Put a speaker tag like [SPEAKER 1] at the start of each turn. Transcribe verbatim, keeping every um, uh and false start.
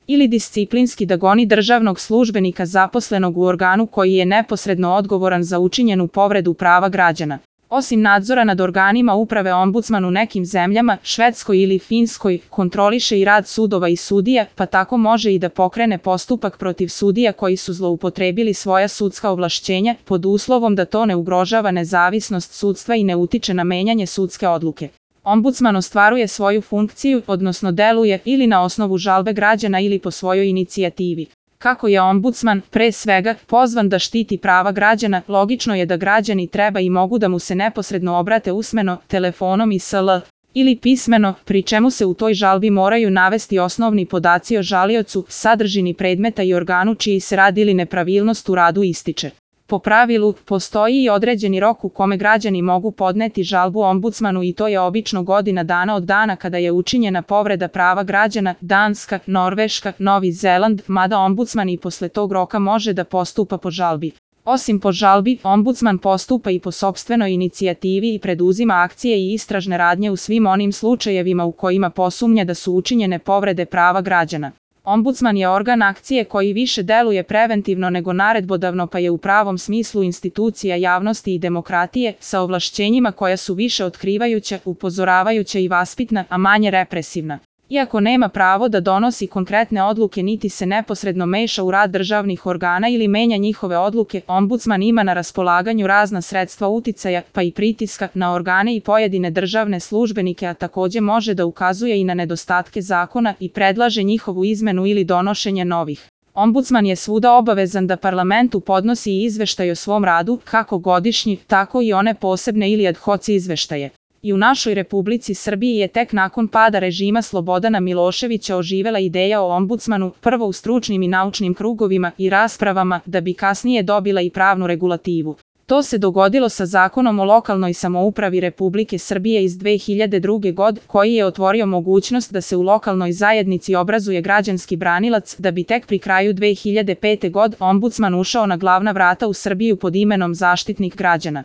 [SPEAKER 1] ili disciplinski da goni državnog službenika zaposlenog u organu koji je neposredno odgovoran za učinjenu povredu prava građana. Osim nadzora nad organima uprave, ombudsman u nekim zemljama, Švedskoj ili Finskoj, kontroliše i rad sudova i sudija, pa tako može i da pokrene postupak protiv sudija koji su zloupotrebili svoja sudska ovlašćenja, pod uslovom da to ne ugrožava nezavisnost sudstva i ne utiče na menjanje sudske odluke. Ombudsman ostvaruje svoju funkciju, odnosno deluje ili na osnovu žalbe građana ili po svojoj inicijativi. Kako je ombudsman, pre svega, pozvan da štiti prava građana, logično je da građani treba i mogu da mu se neposredno obrate usmeno, telefonom i sl. ili pismeno, pri čemu se u toj žalbi moraju navesti osnovni podaci o žaliocu, sadržini predmeta i organu čiji se rad ili nepravilnost u radu ističe. Po pravilu, postoji i određeni rok u kome građani mogu podneti žalbu ombudsmanu i to je obično godina dana od dana kada je učinjena povreda prava građana, Danska, Norveška, Novi Zeland, mada ombudsman i posle tog roka može da postupa po žalbi. Osim po žalbi, ombudsman postupa i po sopstvenoj inicijativi i preduzima akcije i istražne radnje u svim onim slučajevima u kojima posumnja da su učinjene povrede prava građana. Ombudsman je organ akcije koji više deluje preventivno nego naredbodavno, pa je u pravom smislu institucija javnosti i demokratije, sa ovlašćenjima koja su više otkrivajuća, upozoravajuća i vaspitna, a manje represivna. Iako nema pravo da donosi konkretne odluke niti se neposredno meša u rad državnih organa ili menja njihove odluke, ombudsman ima na raspolaganju razna sredstva uticaja, pa i pritiska, na organe i pojedine državne službenike, a takođe može da ukazuje i na nedostatke zakona i predlaže njihovu izmenu ili donošenje novih. Ombudsman je svuda obavezan da parlamentu podnosi izveštaj o svom radu, kako godišnji, tako i one posebne ili ad hoc izveštaje. I u našoj Republici Srbiji je tek nakon pada režima Slobodana Miloševića oživela ideja o ombudsmanu, prvo u stručnim i naučnim krugovima i raspravama, da bi kasnije dobila i pravnu regulativu. To se dogodilo sa Zakonom o lokalnoj samoupravi Republike Srbije iz dve hiljade druge. godine, koji je otvorio mogućnost da se u lokalnoj zajednici obrazuje građanski branilac, da bi tek pri kraju dve hiljade pete. godine ombudsman ušao na glavna vrata u Srbiju pod imenom Zaštitnik građana.